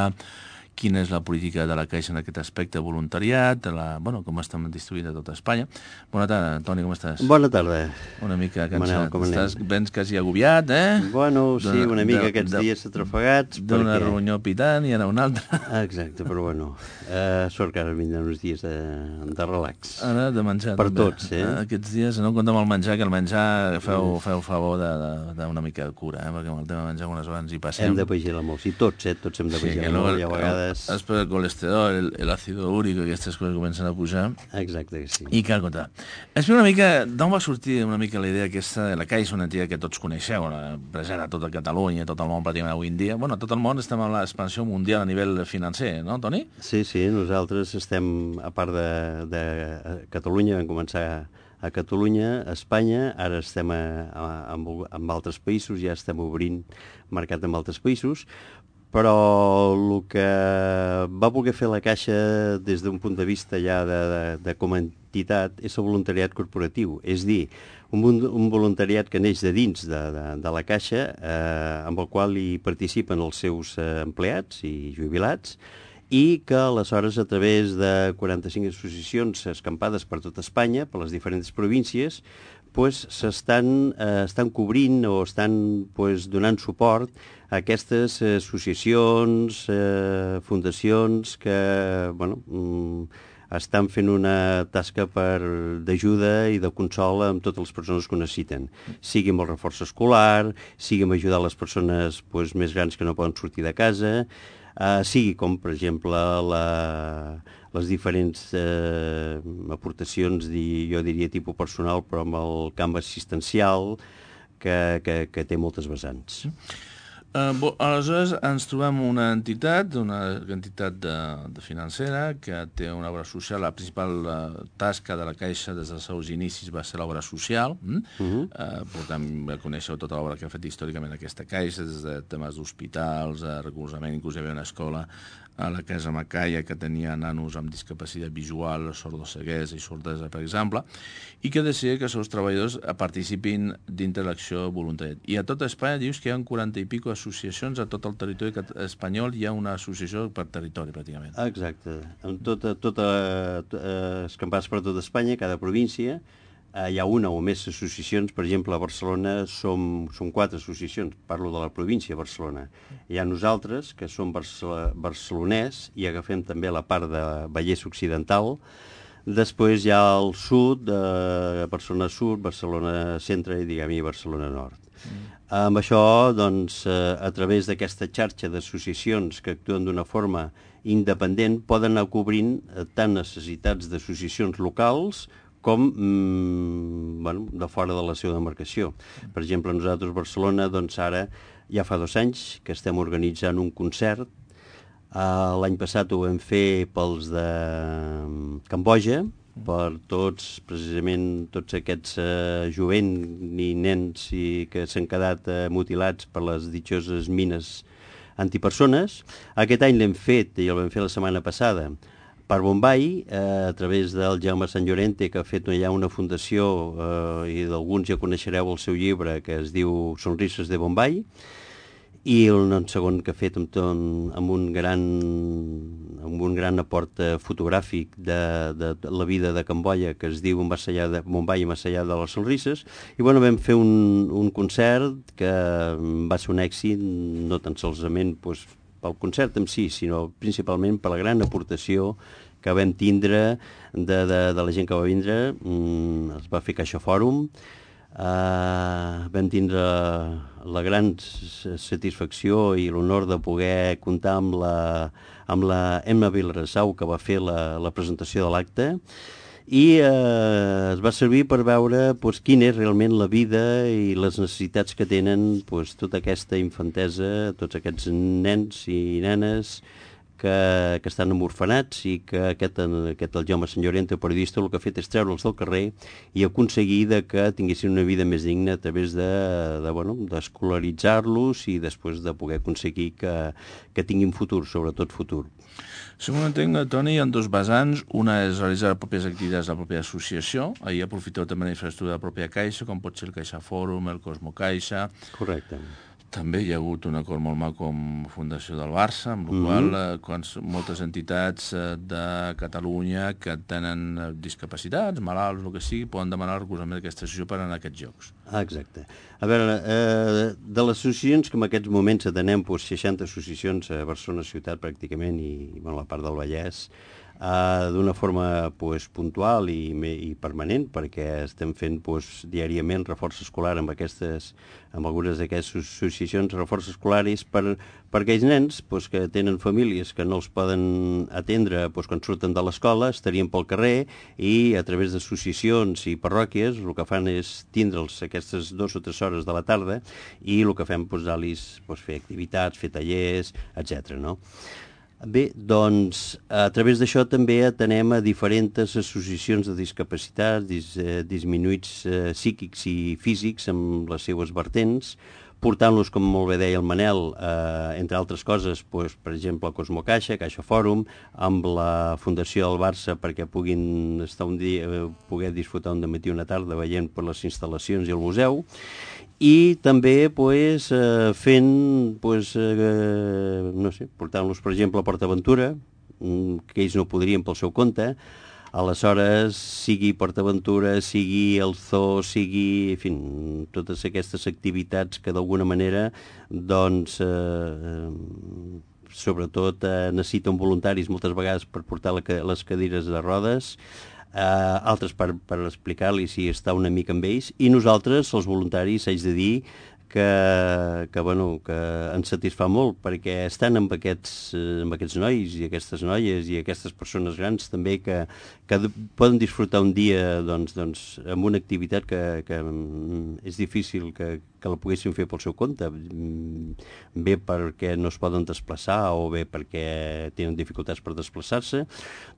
quina és la política de la Caixa en aquest aspecte de voluntariat, la, bueno, com estem distribuïts a tota Espanya. Bona tarda, Antoni, com estàs? Bona tarda. Una mica cansat. Manel, com anem? Estàs, vens quasi agobiat, eh? Bueno, sí, una mica de, aquests de, dies atrafegats. D'una perquè... reunió pitant i anar a una altra. Exacte, però bueno, uh, sort que ara vindran uns dies de, de relax. Ara de menjar, per també. tots, eh? Aquests dies, no compta amb el menjar, que el menjar feu, feu favor d'una mica de cura, eh? Perquè amb el tema de menjar unes hores hi passem. Hem de vigilar molt, sí, tots, eh? Tots hem de vigilar sí, molt, i a vegades... Es per el colesterol, el, el àcido úric, aquestes coses comencen a pujar. Exacte que sí. I cal comptar. Explica una mica, d'on va sortir una mica la idea aquesta de la Caixa, una entitat que tots coneixeu, present a tota Catalunya, a tot el món pràcticament avui en dia. Bueno, a tot el món estem en l'expansió mundial a nivell financer, no, Toni? Sí, sí, nosaltres estem, a part de, de Catalunya, vam començar a Catalunya, a Espanya, ara estem a, a, amb, amb altres països, ja estem obrint mercat amb altres països, però el que va voler fer la Caixa des d'un punt de vista ja de, de, de com a entitat és el voluntariat corporatiu, és dir, un, un voluntariat que neix de dins de, de, de la Caixa, eh, amb el qual hi participen els seus eh, empleats i jubilats, i que aleshores a través de quaranta-cinc associacions escampades per tota Espanya, per les diferents províncies, pues, s'estan eh, estan cobrint o estan pues, donant suport a aquestes associacions, eh, fundacions que bueno, mm, estan fent una tasca d'ajuda i de consol amb totes les persones que ho necessiten. Sigui amb el reforç escolar, sigui amb ajudar les persones pues, més grans que no poden sortir de casa, eh, sigui com, per exemple, la... les diferents eh, aportacions, di, jo diria, tipus personal, però amb el camp assistencial, que, que, que té moltes vessants. Uh, bo, aleshores, ens trobem una entitat, una entitat de, de financera, que té una obra social. La principal uh, tasca de la Caixa des dels seus inicis va ser l'obra social. Mm? Uh -huh. uh, per tant, coneixeu tota l'obra que ha fet històricament aquesta Caixa, des de temes d'hospitals, uh, recolzament, inclús hi havia una escola a la Casa Macaia, que tenia nanos amb discapacitat visual, sordoceguesa i sordesa, per exemple, i que decidia que els seus treballadors participin dintre l'acció voluntària. I a tota Espanya dius que hi ha quaranta i pico associacions, a tot el territori espanyol hi ha una associació per territori, pràcticament. Exacte. En tota, tota, eh, escampades per tota Espanya, cada província, eh, hi ha una o més associacions. Per exemple, a Barcelona som, som quatre associacions, parlo de la província de Barcelona. Hi ha nosaltres, que som barcelonès, i agafem també la part de Vallès Occidental. Després hi ha el sud, de Barcelona Sud, Barcelona Centre i, diguem-hi, Barcelona Nord. Mm. Amb això, doncs, a través d'aquesta xarxa d'associacions que actuen d'una forma independent, poden anar cobrint tant necessitats d'associacions locals com mm, bueno, de fora de la seva demarcació. Per exemple, nosaltres a Barcelona, doncs ara ja fa dos anys que estem organitzant un concert. Uh, L'any passat ho vam fer pels de Camboja, per tots, precisament, tots aquests uh, jovent i nens i que s'han quedat uh, mutilats per les ditxoses mines antipersones. Aquest any l'hem fet, i el vam fer la setmana passada, per Bombai, eh, a través del Jaume Sant Llorente, que ha fet allà una fundació, eh, i d'alguns ja coneixereu el seu llibre, que es diu Sonrises de Bombai, i el segon que ha fet amb, amb, un, gran, amb un gran aport fotogràfic de, de, de la vida de Camboya, que es diu Més allà de Bombai i Més allà de les Sonrises. I bueno, vam fer un, un concert que va ser un èxit, no tan solament pues, pel concert en si, sinó principalment per la gran aportació que vam tindre de, de, de la gent que va vindre. Mm, es va fer Caixa Fòrum. Uh, vam tindre la gran satisfacció i l'honor de poder comptar amb la, amb la Emma Vilarasau, que va fer la, la presentació de l'acte, i uh, es va servir per veure pues, quina és realment la vida i les necessitats que tenen pues, tota aquesta infantesa, tots aquests nens i nenes que, que estan en orfenats i que aquest, aquest el Jaume Sant Llorente, periodista, el que ha fet és treure'ls del carrer i aconseguir de que tinguessin una vida més digna a través de, de, bueno, d'escolaritzar-los i després de poder aconseguir que, que tinguin futur, sobretot futur. Segons entenc, Toni, hi ha dos vessants. Una és realitzar les pròpies activitats de la pròpia associació. Ahir aprofiteu també la infraestructura de la pròpia Caixa, com pot ser el Caixa Fòrum, el Cosmo Caixa. Correcte. També hi ha hagut un acord molt maco amb Fundació del Barça, amb la mm-hmm. qual eh, quan moltes entitats eh, de Catalunya que tenen eh, discapacitats, malalts, el que sigui, poden demanar el recolzament d'aquesta associació per anar a aquests jocs. Ah, exacte. A veure, eh, de les associacions que en aquests moments atenem, doncs, seixanta associacions a Barcelona ciutat pràcticament i bueno, la part del Vallès, Uh, d'una forma pues, puntual i, i permanent, perquè estem fent pues, diàriament reforç escolar amb, aquestes, amb algunes d'aquestes associacions, reforç escolaris per, per aquells nens pues, que tenen famílies que no els poden atendre pues, quan surten de l'escola, estarien pel carrer i a través d'associacions i parròquies el que fan és tindre'ls aquestes dues o tres hores de la tarda i el que fem pues, és pues, fer activitats, fer tallers, etcètera. No? Bé, doncs, a través d'això també atenem a diferents associacions de discapacitats, dis, eh, disminuïts eh, psíquics i físics amb les seues vertents, portant-los, com molt bé deia el Manel, eh, entre altres coses, doncs, per exemple, a Cosmo Caixa, Caixa Fòrum, amb la Fundació del Barça perquè puguin estar un dia, eh, poder disfrutar un dematí i una tarda veient per les instal·lacions i el museu, i també pues, eh, fent, pues, eh, no sé, portant-los, per exemple, a PortAventura, que ells no podrien pel seu compte. Aleshores, sigui PortAventura, sigui el zoo, sigui, en fi, totes aquestes activitats que d'alguna manera, doncs, eh, sobretot eh, necessiten voluntaris moltes vegades per portar la, les cadires de rodes, Uh, altres per, per explicar-li si està una mica amb ells, i nosaltres, els voluntaris, haig de dir que, que, bueno, que ens satisfà molt, perquè estan amb aquests, amb aquests nois i aquestes noies i aquestes persones grans també que, que poden disfrutar un dia doncs, doncs, amb una activitat que, que és difícil que, que la poguessin fer pel seu compte, bé perquè no es poden desplaçar o bé perquè tenen dificultats per desplaçar-se,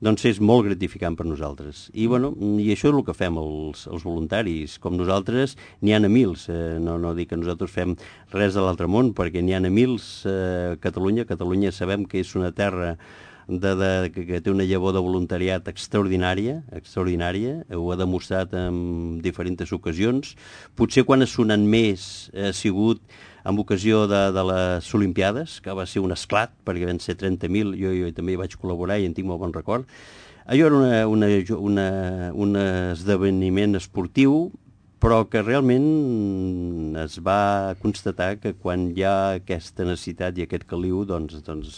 doncs és molt gratificant per nosaltres. I, bueno, i això és el que fem els, els voluntaris. Com nosaltres, n'hi ha a mils. Eh, no, no dic que nosaltres fem res de l'altre món, perquè n'hi ha a mils eh, a Catalunya. Catalunya sabem que és una terra De, de, que, que té una llavor de voluntariat extraordinària, extraordinària, ho ha demostrat en diferents ocasions. Potser quan ha sonat més ha sigut en ocasió de, de les Olimpiades, que va ser un esclat, perquè van ser trenta mil, jo, jo també hi vaig col·laborar i en tinc molt bon record. Allò era una, una, una, un esdeveniment esportiu, però que realment es va constatar que quan hi ha aquesta necessitat i aquest caliu, doncs, doncs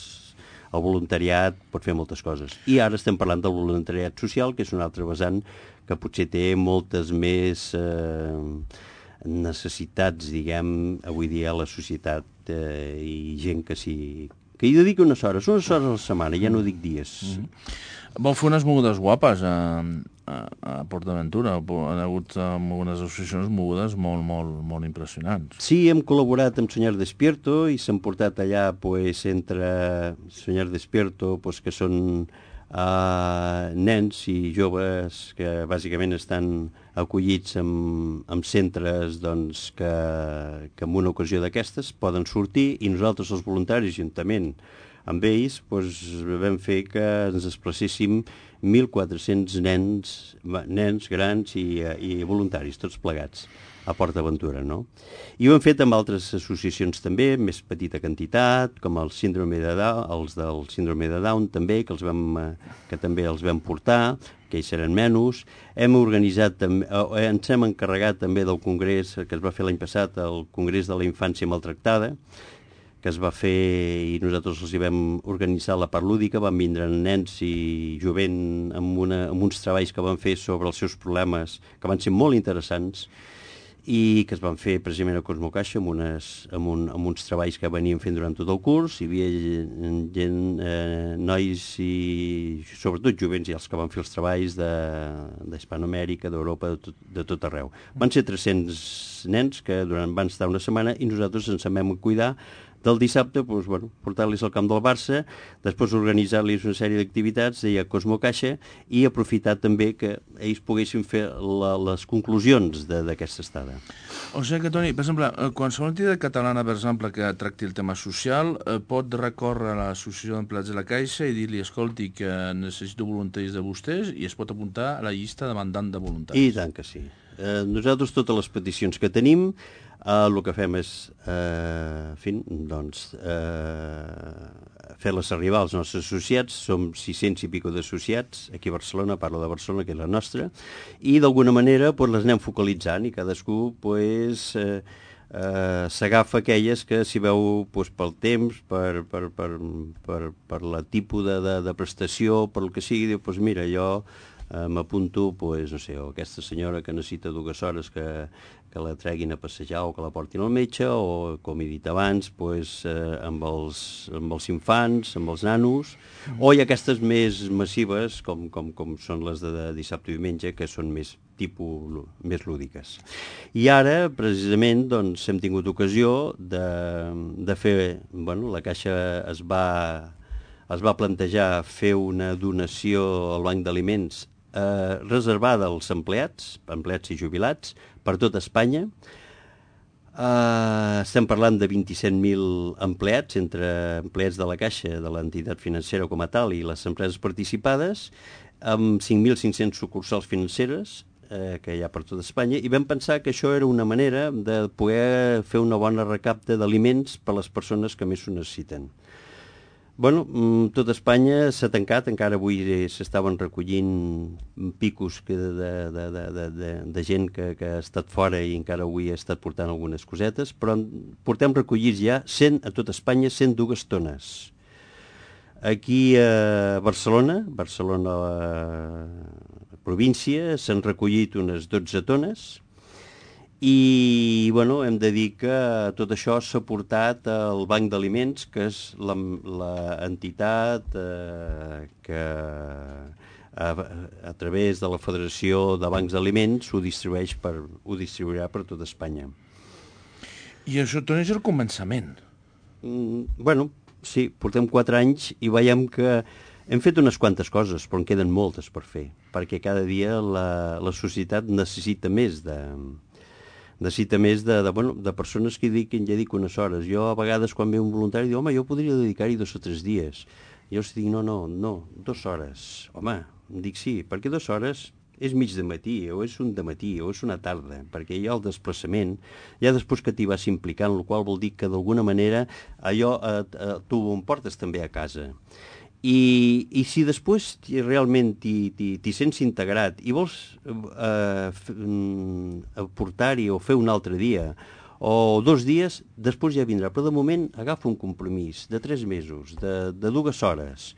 el voluntariat pot fer moltes coses. I ara estem parlant del voluntariat social, que és un altre vessant que potser té moltes més eh, necessitats, diguem, avui dia a la societat eh, i gent que s'hi que hi dediqui unes hores, unes hores a la setmana, ja no dic dies. Mm-hmm. Vau fer unes mogudes guapes a, a, a PortAventura. Han hagut algunes associacions mogudes molt, molt, molt impressionants. Sí, hem col·laborat amb Soñar Despierto i s'han portat allà pues, entre Soñar Despierto, pues, que són uh, nens i joves que bàsicament estan acollits en, en centres doncs, que, que en una ocasió d'aquestes poden sortir i nosaltres, els voluntaris, juntament amb ells, doncs, vam fer que ens desplacéssim mil quatre-cents nens, nens grans i, i voluntaris, tots plegats, a PortAventura, no? I ho hem fet amb altres associacions també, més petita quantitat, com el síndrome de Down, els del síndrome de Down també, que, els vam, que també els vam portar, que ells seran menys. Hem organitzat, eh, ens hem encarregat també del congrés que es va fer l'any passat, el Congrés de la Infància Maltractada, que es va fer i nosaltres els hi vam organitzar la part lúdica, van vindre nens i jovent amb, una, amb uns treballs que van fer sobre els seus problemes, que van ser molt interessants, i que es van fer precisament a Cosmo Caixa amb, unes, amb, un, amb uns treballs que veníem fent durant tot el curs. Hi havia gent, eh, nois i sobretot jovents i els que van fer els treballs d'Hispanoamèrica, d'Europa, de, tot, de tot arreu. Van ser tres-cents nens que durant van estar una setmana i nosaltres ens en vam cuidar del dissabte, doncs, bueno, portar-los al camp del Barça, després organitzar-los una sèrie d'activitats, deia Cosmo Caixa, i aprofitar també que ells poguessin fer la, les conclusions d'aquesta estada. O sigui que, Toni, per exemple, qualsevol entitat catalana, per exemple, que tracti el tema social, eh, pot recórrer a l'associació d'empleats de la Caixa i dir-li, escolti, que necessito voluntaris de vostès, i es pot apuntar a la llista demandant de voluntaris. I tant que sí. Eh, nosaltres totes les peticions que tenim, eh, el que fem és eh, en fi, doncs, eh, fer-les arribar als nostres associats. Som sis-cents i pico d'associats aquí a Barcelona, parlo de Barcelona, que és la nostra, i d'alguna manera pues, les anem focalitzant i cadascú pues, eh, eh, s'agafa aquelles que s'hi veu pues, pel temps, per, per, per, per, per la tipus de, de, de prestació, per el que sigui, diu, pues, mira, jo Uh, m'apunto, pues, no sé, o aquesta senyora que necessita dues hores que, que la treguin a passejar o que la portin al metge, o, com he dit abans, pues, uh, amb, els, amb els infants, amb els nanos, mm. o hi ha aquestes més massives, com, com, com són les de, de dissabte i diumenge, que són més tipus, més lúdiques. I ara, precisament, doncs, hem tingut ocasió de, de fer, bueno, la Caixa es va, es va plantejar fer una donació al Banc d'Aliments Eh, reservada als empleats, empleats i jubilats, per tot Espanya. Eh, estem parlant de vint-i-set mil empleats, entre empleats de la Caixa, de l'entitat financera com a tal, i les empreses participades, amb cinc mil cinc-cents sucursals financeres eh, que hi ha per tot Espanya, i vam pensar que això era una manera de poder fer una bona recapta d'aliments per a les persones que més ho necessiten. Bueno, tot Espanya s'ha tancat, encara avui s'estaven recollint picos de, de, de, de, de, de gent que, que ha estat fora i encara avui ha estat portant algunes cosetes, però portem recollits ja cent a tot Espanya, cent dues tones. Aquí a Barcelona, Barcelona la província, s'han recollit unes dotze tones, i bueno, hem de dir que tot això s'ha portat al Banc d'Aliments, que és l'entitat eh, que a, a través de la Federació de Bancs d'Aliments ho distribueix per, ho distribuirà per tot Espanya. I això, Toni, és el començament. Mm, bueno, sí, portem quatre anys i veiem que hem fet unes quantes coses, però en queden moltes per fer, perquè cada dia la, la societat necessita més de... necessita més de, de, bueno, de persones que dediquin, ja dic, unes hores. Jo a vegades quan ve un voluntari diu, home, jo podria dedicar-hi dos o tres dies. Jo els dic, no, no, no, dues hores. Home, em dic sí, perquè dues hores és mig de matí, o és un de matí, o és una tarda, perquè hi ha el desplaçament, ja després que t'hi vas implicant, el qual vol dir que d'alguna manera allò eh, eh, tu ho portes també a casa. I, i si després realment t'hi sents integrat i vols eh, aportar-hi o fer un altre dia o dos dies, després ja vindrà. Però de moment agafa un compromís de tres mesos, de, de dues hores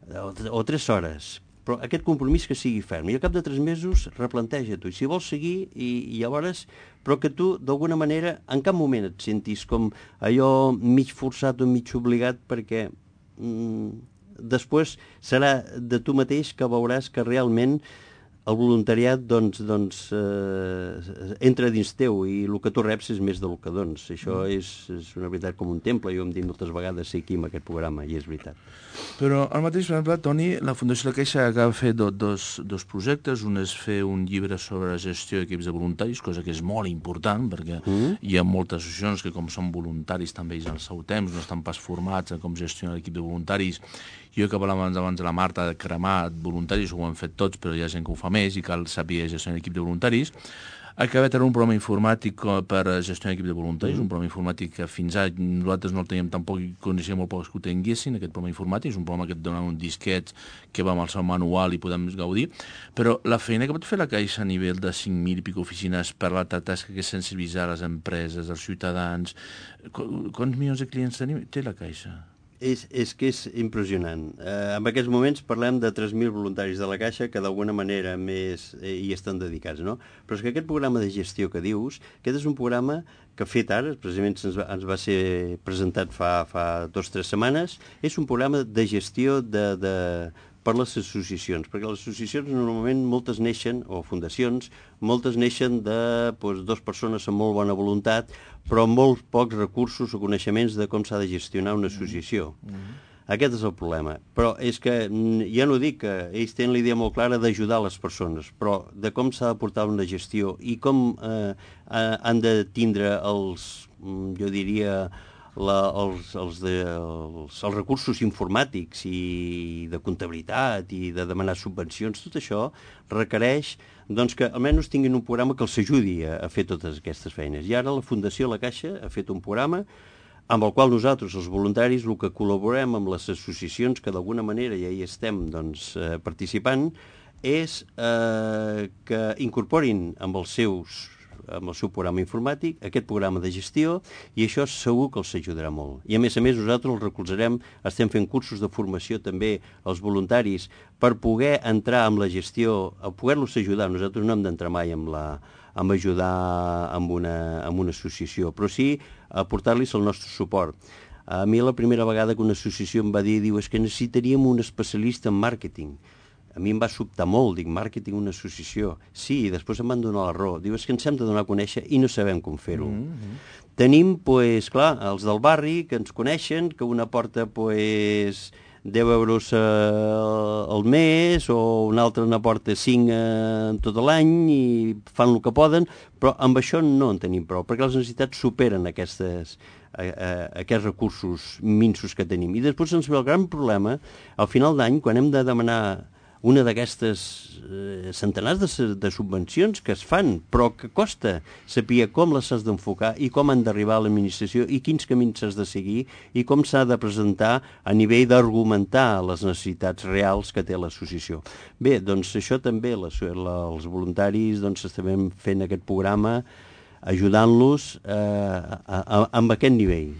o, o tres hores, però aquest compromís que sigui ferm. I al cap de tres mesos replanteja-t'ho. I si vols seguir, i, i llavors, però que tu d'alguna manera en cap moment et sentis com allò mig forçat o mig obligat, perquè... Mm, després serà de tu mateix que veuràs que realment el voluntariat doncs, doncs, eh, entra dins teu i el que tu reps és més del que dones. Això és, és una veritat com un temple, jo em dic moltes vegades aquí en aquest programa, i és veritat. Però al mateix, per exemple, Toni, la Fundació La Caixa acaba de fer do, dos, dos projectes. Un és fer un llibre sobre gestió d'equips de voluntaris, cosa que és molt important, perquè mm. hi ha moltes associacions que, com són voluntaris també ells al seu temps, no estan pas formats en com gestionar l'equip de voluntaris. Jo que parlàvem abans, abans de la Marta de cremar voluntaris, ho han fet tots, però hi ha gent que ho fa més i cal saber gestionar l'equip de voluntaris. Acaba de tenir un programa informàtic per gestionar l'equip de voluntaris, mm. un programa informàtic que fins ara nosaltres no el teníem tampoc i coneixíem molt pocs que ho tinguessin, aquest programa informàtic. És un programa que et dona un disquet que va amb el seu manual i podem gaudir. Però la feina que pot fer la Caixa a nivell de cinc mil i pico oficines per la tasca que és sensibilitzar les empreses, els ciutadans... Quants milions de clients tenim? Té la Caixa? És, és que és impressionant. Eh, en aquests moments parlem de tres mil voluntaris de la Caixa que d'alguna manera més eh, hi estan dedicats, no? Però és que aquest programa de gestió que dius, aquest és un programa que fet ara, precisament ens va, ens va ser presentat fa, fa dos o tres setmanes, és un programa de gestió de, de per les associacions, perquè les associacions normalment moltes neixen, o fundacions, moltes neixen de doncs, dues persones amb molt bona voluntat, però amb molts pocs recursos o coneixements de com s'ha de gestionar una associació. Mm-hmm. Aquest és el problema. Però és que, ja no dic que ells tenen la idea molt clara d'ajudar les persones, però de com s'ha de portar una gestió i com eh, han de tindre els, jo diria, la, els, els, de, els, els recursos informàtics i de comptabilitat i de demanar subvencions, tot això requereix doncs, que almenys tinguin un programa que els ajudi a, a fer totes aquestes feines. I ara la Fundació La Caixa ha fet un programa amb el qual nosaltres, els voluntaris, el que col·laborem amb les associacions que d'alguna manera ja hi estem doncs, eh, participant, és eh, que incorporin amb els seus amb el seu programa informàtic, aquest programa de gestió, i això segur que els ajudarà molt. I a més a més nosaltres els recolzarem, estem fent cursos de formació també als voluntaris per poder entrar amb la gestió, a poder-los ajudar. Nosaltres no hem d'entrar mai amb la amb ajudar amb una, amb una associació, però sí aportar-los el nostre suport. A mi la primera vegada que una associació em va dir, diu, és que necessitaríem un especialista en màrqueting. A mi em va sobtar molt, dic, màrqueting, una associació. Sí, i després em van donar la raó. Diu, és que ens hem de donar a conèixer i no sabem com fer-ho. Mm-hmm. Tenim, pues, clar, els del barri que ens coneixen, que una porta, pues, deu euros eh, al mes, o una altra n'aporta cinc eh, tot l'any i fan el que poden, però amb això no en tenim prou, perquè les necessitats superen aquestes, eh, eh, aquests recursos minsos que tenim. I després ens ve el gran problema, al final d'any, quan hem de demanar una d'aquestes eh, centenars de, de subvencions que es fan, però que costa saber com les has d'enfocar i com han d'arribar a l'administració i quins camins s'has de seguir i com s'ha de presentar a nivell d'argumentar les necessitats reals que té l'associació. Bé, doncs això també, les, la, els voluntaris doncs estem fent aquest programa ajudant-los eh, a, a, amb aquest nivell.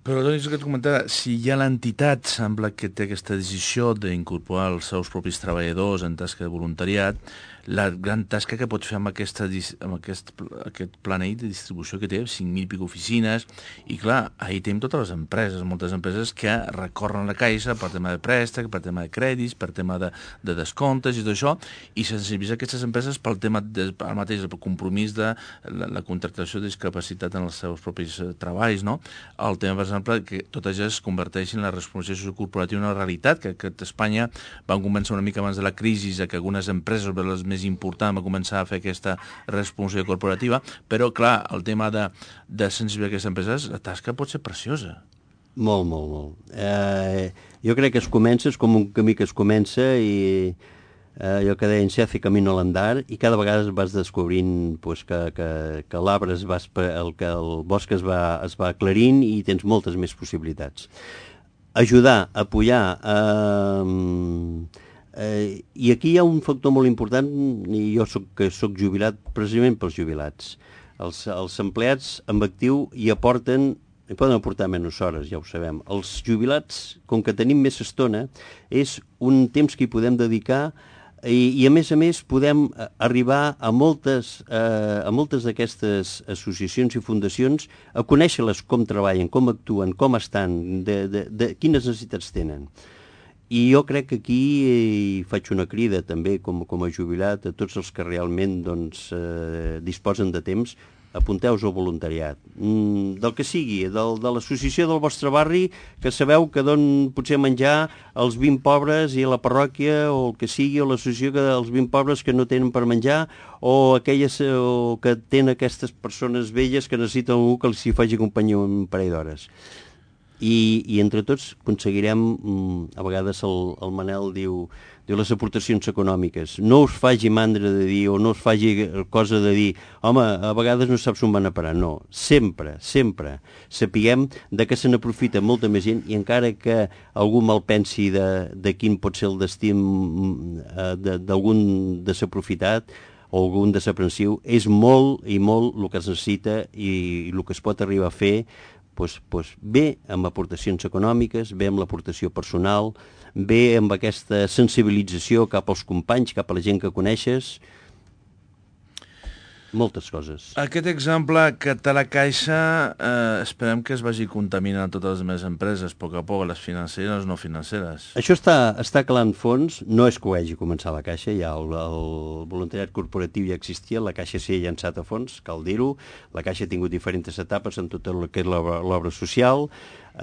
Però doncs que et comentava, si ja l'entitat sembla que té aquesta decisió d'incorporar els seus propis treballadors en tasca de voluntariat, la gran tasca que pot fer amb, aquesta, amb aquest, aquest planell de distribució que té, cinc mil i pico oficines, i clar, ahir tenim totes les empreses, moltes empreses que recorren la Caixa per tema de préstec, per tema de crèdits, per tema de, de descomptes i tot això, i sensibilitzar aquestes empreses pel tema, de, el mateix, el compromís de la, la contractació de discapacitat en els seus propis eh, treballs, no? El tema, per exemple, que totes elles es converteixin en la responsabilitat sociocorporativa una realitat, que, que a Espanya van començar una mica abans de la crisi a que algunes empreses, les més important, va començar a fer aquesta responsabilitat corporativa, però, clar, el tema de, de sensibilitzar aquestes empreses, la tasca pot ser preciosa. Molt, molt, molt. Eh, jo crec que es comença, és com un camí que es comença i eh, allò que deien, se hace camino al andar, i cada vegada vas descobrint pues, que, que, que l'arbre es va, el, que el bosc es va, es va aclarint i tens moltes més possibilitats. Ajudar, apoyar... Eh, Eh, i aquí hi ha un factor molt important, i jo soc, que soc jubilat precisament pels jubilats. Els, els empleats amb actiu hi aporten, hi poden aportar menys hores, ja ho sabem. Els jubilats, com que tenim més estona, és un temps que hi podem dedicar i, i a més a més podem arribar a moltes, eh, a moltes d'aquestes associacions i fundacions a conèixer-les com treballen, com actuen, com estan, de, de, de quines necessitats tenen. I jo crec que aquí eh, faig una crida també com, com a jubilat a tots els que realment doncs, eh, disposen de temps, apunteu-vos al voluntariat. Mm, del que sigui, del, de l'associació del vostre barri, que sabeu que don potser menjar als vint pobres i a la parròquia, o el que sigui, o l'associació dels vint pobres que no tenen per menjar, o aquelles o que tenen aquestes persones velles que necessiten algú que els hi faci companyia un parell d'hores. I, i entre tots aconseguirem, a vegades el, el Manel diu, diu les aportacions econòmiques. No us faci mandra de dir, o no us faci cosa de dir, home, a vegades no saps on van a parar. No, sempre, sempre sapiguem de què se n'aprofita molta més gent, i encara que algú mal pensi de, de quin pot ser el destí d'algun desaprofitat o algun desaprensiu, és molt i molt el que es necessita i el que es pot arribar a fer. Pues, pues bé amb aportacions econòmiques, bé amb l'aportació personal, bé amb aquesta sensibilització cap als companys, cap a la gent que coneixes. moltes coses. Aquest exemple que té la Caixa, eh, esperem que es vagi contaminant a totes les més empreses, a poc a poc, les financeres i les no financeres. Això està, està calant fons, no és que ho hagi començat la Caixa, ja el, el voluntariat corporatiu ja existia, la Caixa s'hi ha llançat a fons, cal dir-ho, la Caixa ha tingut diferents etapes en tot el que és l'obra social,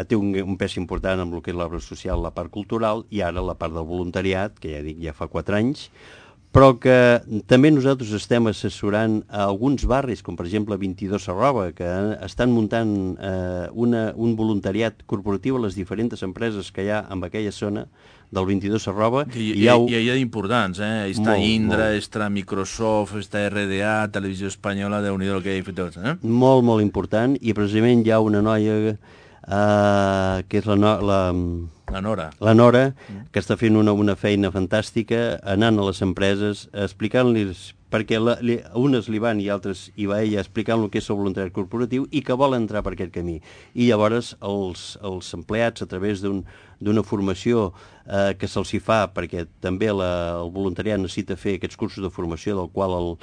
té un, un pes important en el que és l'obra social, la part cultural, i ara la part del voluntariat, que ja dic, ja fa quatre anys, però que també nosaltres estem assessorant a alguns barris, com per exemple vint-i-dos Arroba, que estan muntant eh, una, un voluntariat corporatiu a les diferents empreses que hi ha en aquella zona del vint-i-dos Arroba. I hi ha, hi ha importants, eh? Està molt, Indra, molt. Està Microsoft, està R D A, Televisió Espanyola, Déu-n'hi-do el que hi ha fet tots, eh? Molt, molt important, i precisament hi ha una noia eh, que és la... No, la La Nora. La Nora, que està fent una, una feina fantàstica, anant a les empreses, explicant-los, perquè la, li, unes li van i altres hi va ella, explicant el que és el voluntariat corporatiu i que vol entrar per aquest camí. I llavors els, els empleats, a través d'un, d'una formació eh, que se'ls hi fa, perquè també la, el voluntariat necessita fer aquests cursos de formació, del qual el,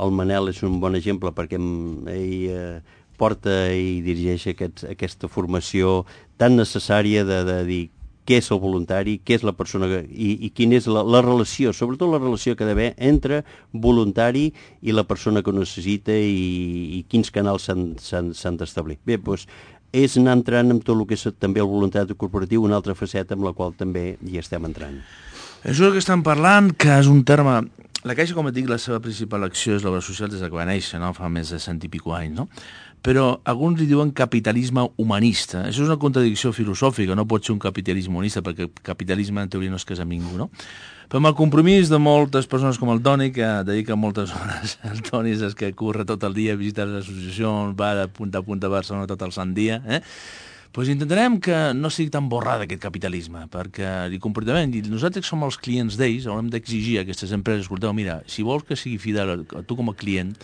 el Manel és un bon exemple, perquè ell eh, porta i dirigeix aquest, aquesta formació tan necessària de, de dir què és el voluntari, què és la persona i, i quina és la, la relació, sobretot la relació que ha d'haver entre voluntari i la persona que ho necessita i, i quins canals s'han d'establir. Bé, doncs, és anar entrant en tot el que és també el voluntariat corporatiu, una altra faceta amb la qual també hi estem entrant. Això que estem parlant, que és un terme... La Caixa, com et dic, la seva principal acció és l'obra social des que va néixer, no? Fa més de cent i pico anys, no? Però alguns li diuen capitalisme humanista. Això és una contradicció filosòfica, no pot ser un capitalisme humanista, perquè el capitalisme en teoria no es casa amb ningú, no? Però amb el compromís de moltes persones com el Toni, que dedica moltes hores, el Toni és el que corre tot el dia, visita les associacions, va de punta a punta a Barcelona tot el sant dia, eh? Doncs intentarem que no sigui tan borrat aquest capitalisme, perquè li completament, i nosaltres som els clients d'ells, haurem d'exigir a aquestes empreses, escolteu, mira, si vols que sigui fidel a tu com a client,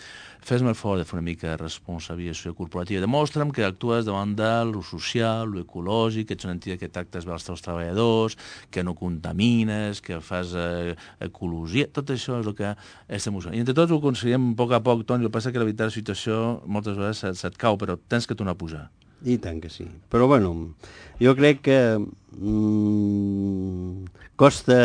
fes-me el favor de fer una mica de responsabilitat corporativa. Demostra'm que actues davant de lo social, lo ecològic, que ets una entitat que tractes bé els teus treballadors, que no contamines, que fas eh, ecologia, tot això és el que estem usant. I entre tots ho aconseguim a poc a poc, Toni, el que passa que la veritat la situació moltes vegades se't, se't cau, però tens que tornar a pujar. I tant que sí. Però, bueno, jo crec que mm, costa...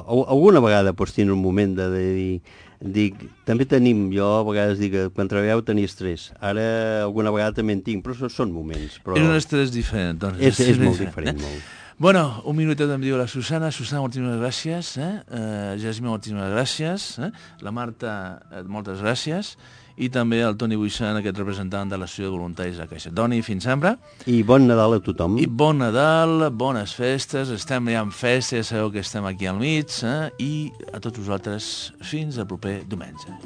Alguna vegada pots tenir un moment de, de dir... Dic, també tenim, jo a vegades dic que quan treballeu tenia estrès. Ara alguna vegada també en tinc, però són moments. Però... És un estrès diferent, doncs. És, és molt diferent, eh? molt. Bueno, un minutet em diu la Susana. Susana, moltíssimes gràcies. Eh? Uh, Jasmine, moltíssimes gràcies. Eh? La Marta, eh, moltes gràcies. I també el Toni Buissan, aquest representant de l'Associació de Voluntaris de Caixa. Toni, fins sempre. I bon Nadal a tothom. I bon Nadal, bones festes, estem ja en festa, ja sabeu que estem aquí al mig, eh? I a tots vosaltres, fins al proper diumenge.